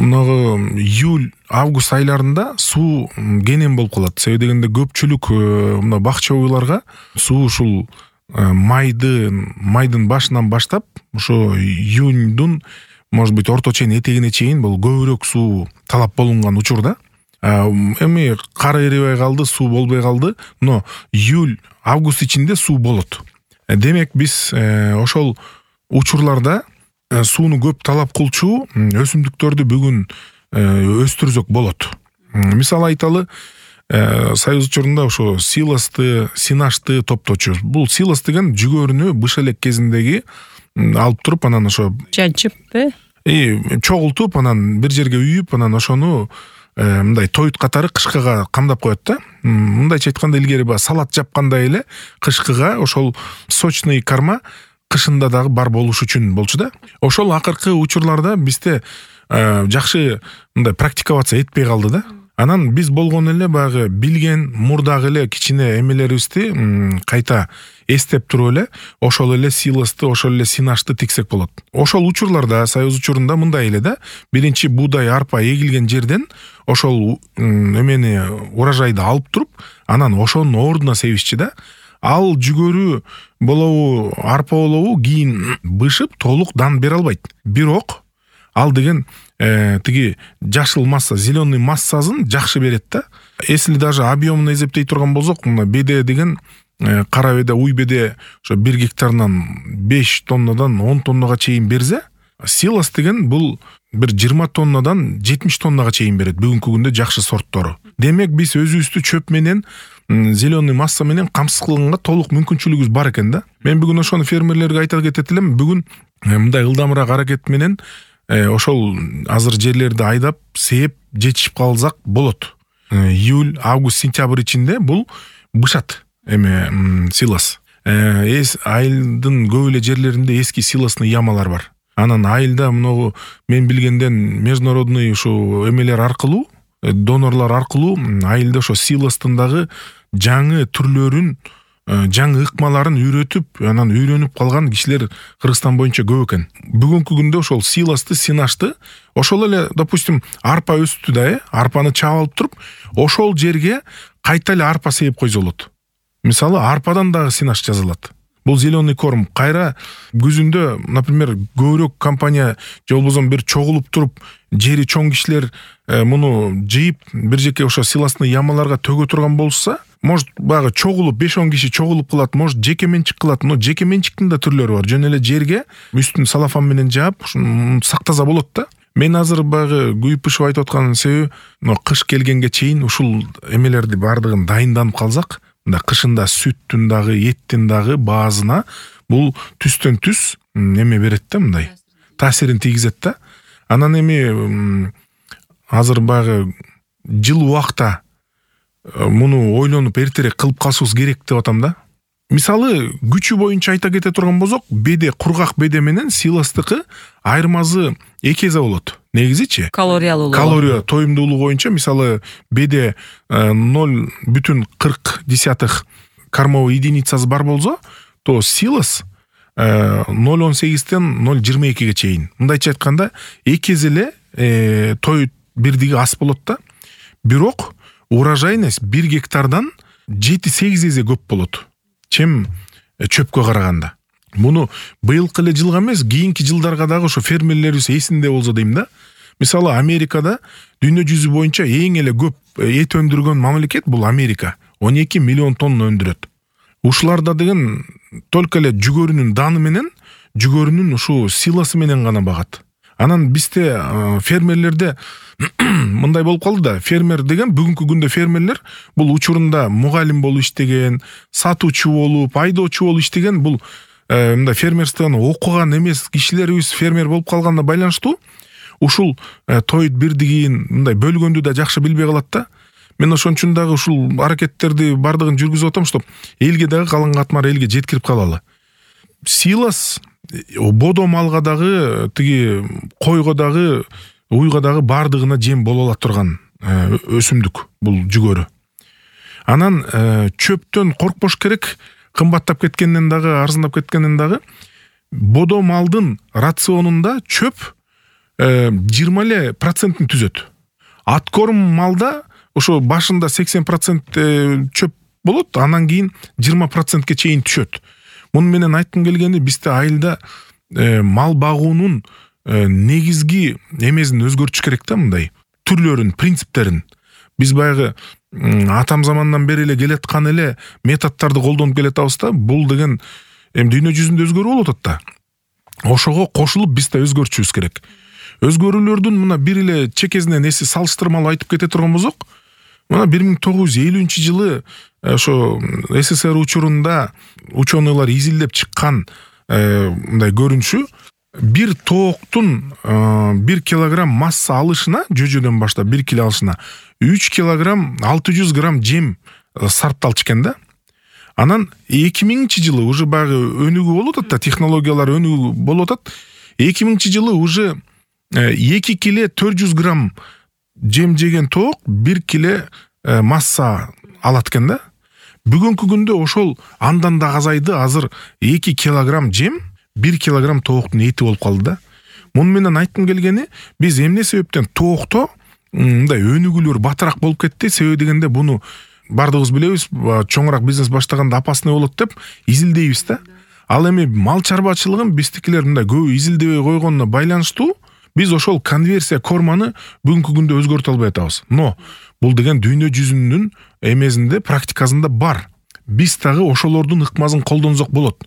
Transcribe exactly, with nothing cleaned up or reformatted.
Мынагы июль, август айларында суу кенен болуп калат. Себеби дегенде көпчүлүк мына бакча уйларга суу ушул майдын майдын башынан баштап ошо июньдун может быть орто чейин этегине чейин бул көбүрөөк суу талап болунган учурда. Эми кар эрибей калды, суу болбой калды, но июль, август ичинде суу болот. Демек биз ошол учурларда сууну көп талап кылчу өсүмдүктөрдү бүгүн өстүрсөк болот. Мисалы айталы, Союз учурунда ошо силосты, синашты топточу. Бул силос деген жүгөрүнү быш элек кезиндеги алып туруп, анан ошо жанчыппы? И чогултуп, анан бир жерге үйүп, анан ошону мындай тоют катары кышкыга камдап коет да. Мындайча айтканда илгери ба салат жапкандай эле кышкыга ошол сочный карма кышында дагы бар болуш үчүн болчу да. Ошол акыркы учурларда бизде жакшы мындай практиковаться этпей калды да. Анан биз болгон эле баягы билген мурдагы эле кичине эмелерибизди кайта эстеп туруп эле ошол эле силосты, ошол эле синашты тиксек болот. Ошол учурларда, Союз учурунда мындай эле да. Биринчи буудай, арпа эгилген жерден ошол эмени урожайды алып туруп, анан ошонун ордуна себишчи да. Ал жүгөрү болобу, арпа болобу кийин бышып толук дан бере албайт. Бирок ал деген э, тиги жашыл масса, зеленый массасын жакшы берет да. Если даже объемун эсептей турган болсок, мына беде деген э, кара беде, уй беде ошо бир гектарынан беш тоннадан он тоннага чейин берсе, силос деген бул бир жыйырма тоннадан жетимиш тоннага чейин берет бүгүнкү күндө жакшы сорттору. Демек биз өзүбүздү чөп менен, зеленый масса менен камсыз кылганга толук мүмкүнчүлүгүбүз бар экен да. Мен бүгүн ошону фермерлерге айта кетет элем. Бүгүн мындай ылдамыраак аракет менен ошол азыр жерлерди айдап, сээп, жетишип калсак болот. Июль, август, сентябрь ичинде бул бышат эме силос. Эс айылдын көп эле жерлеринде эски силосный ямалар бар. Анан айылда мынагу мен билгенден международный ушу эмелер аркылуу, донорлор аркылуу айылда ошо силостун дагы жаңы түрлөрүн, жаңы ыкмаларын үйрөтүп, анан үйрөнүп калган кишилер Кыргызстан боюнча көп экен. Бүгүнкү күндө ошол силосты, синашты, ошол эле, допустим, арпа өстү да, э, арпаны чаап алып туруп, ошол жерге кайта эле арпа сээп койсо болот. Мисалы, арпадан дагы синаш жасалат. Бул зеленый корм. Кайра күзүндө, например, көбүрөөк компания же болбосо бир чогулуп туруп, жери чоң кишилер муну жыйып, бир жеке ошо силосный ямаларга төгө турган болса, может баягы чогулуп, беш он киши чогулуп кылат, может жеке менчик кылат, но жеке менчиктин да түрлөрү бар. Жөн эле жерге үстүн салафан менен жаап, сактаса болот да. Мен азыр баягы күйүп-пышып айтып аткан себеби, кыш келгенге чейин ушул эмелерди бардыгын дайынданып калсак, мында кышында сүттүн дагы, еттин дагы баазына бул түстөн түз эме берет да, мындай таасирин тийгизет да. Анан эми азыр баягы жыл убакта муну ойлонуп эртерээк кылып калышыбыз керек деп атам да. Мисалы, күчү боюнча айта кете турган болсок, беде, кургак беде менен силостыкы айырмасы эки эсе болот. Негизичи калориялуулугу. Калория тоюмдуулугу боюнча, мисалы, беде ноль бүтүн кырк десятых кормовой единицасы бар болсо, то силос ноль он сегизден ноль жыйырма экиге чейин. Мындайча айтканда, эки эсе эле тоют бирдиги ас болот да. Бирок урожайность бир гектардан жети сегиз эсе көп болот, чем чөпкө караганда. Муну быйылкы эле жылга эмес, кийинки жылдарга дагы ошо фермерлерибиз эсинде болсо дейм да. Мисалы, Америкада дүйнө жүзү боюнча эң эле көп эт өндүргөн мамлекет бул Америка. он эки миллион тонна өндүрөт. Ушуларда деген только эле жүгөрүнүн даны менен, жүгөрүнүн ушу силосы менен гана багат. Анан бизде фермерлерде мындай болуп калды да. Фермер деген, бүгүнкү күндө фермерлер бул учурунда мугалим болуп иштеген, сатуучу болуп, айдоочу болуп иштеген, бул мындай фермерствону окуган эмес кишилерибиз фермер болуп калганына байланыштуу ушул тоют бирдигин мындай бөлгөндү да жакшы билбей калат да. Мен ошон үчүн дагы ушул аракеттерди бардыгын жүргүзүп атам, чтоб элге дагы калан катмар элге жеткирип калалы. Силос бодо малга дагы, тиги койго дагы, уйга дагы бардыгына жем боло ала турган өсүмдүк бул жүгөрү. Анан чөптөн коркпош керек, кымбаттап кеткенден дагы, арзандап кеткенден дагы бодо малдын рационунда чөп жыйырма эле процентин түзөт. Аткорм малда ошо башында сексен процент чөп болот, анан кийин жыйырма процентке чейин түшөт. Муну менен айткым келгени, бизде айылда мал багуунун негизги эмесин өзгөртүш керек да, мындай түрлөрүн, принциптерин. Биз баягы атам замандан бери эле келаткан эле методдорду колдонуп келатабыз да, бул деген эми дүйнө жүзүндө өзгөрүү болуп атат да. Ошого кошулуп биз да өзгөртүшүбүз керек. Өзгөрүүлөрдүн мына бир эле чекесинен эси салыштырмалуу айтып кете турган болсок, мына бир миң тогуз жүз элүүнчү жылы ошо СССР учурунда ученыйлар изилдеп чыккан мындай көрүнүшү, бир тооктун бир килограмм масса алышына, жөжөдөн баштап бир кило алышына үч килограмм алты жүз грамм жем сарпталчу экен да. Анан эки миңинчи жылы уже баягы өнүгүү болуп атат да, технологиялар өнүгүү болуп атат. эки миңинчи жылы уже эки кило төрт жүз грамм жем жеген тоок бир кило масса алат экен да. Бүгүнкү күндө ошол андан да азайды, азыр эки килограмм жем бир килограмм тооктун эти болуп калды да. Муну менен айткым келгени, биз эмне себептен тоокто мындай өнүгүүлөр батыраак болуп кетти? Себеби дегенде буну бардыгыбыз билебиз, чоңураак бизнес баштаганда опасный болот деп изилдейбиз да. Ал эми мал чарбачылыгын биздикилер мындай көп изилдебей койгонуна байланыштуу биз ошол конверсия корманы бүгүнкү күндө өзгөртө албай атабыз. Но бул деген дүйнө жүзүнүн эмесинде, практикасында бар. Биз дагы ошолордун ыкмасын колдонсок болот.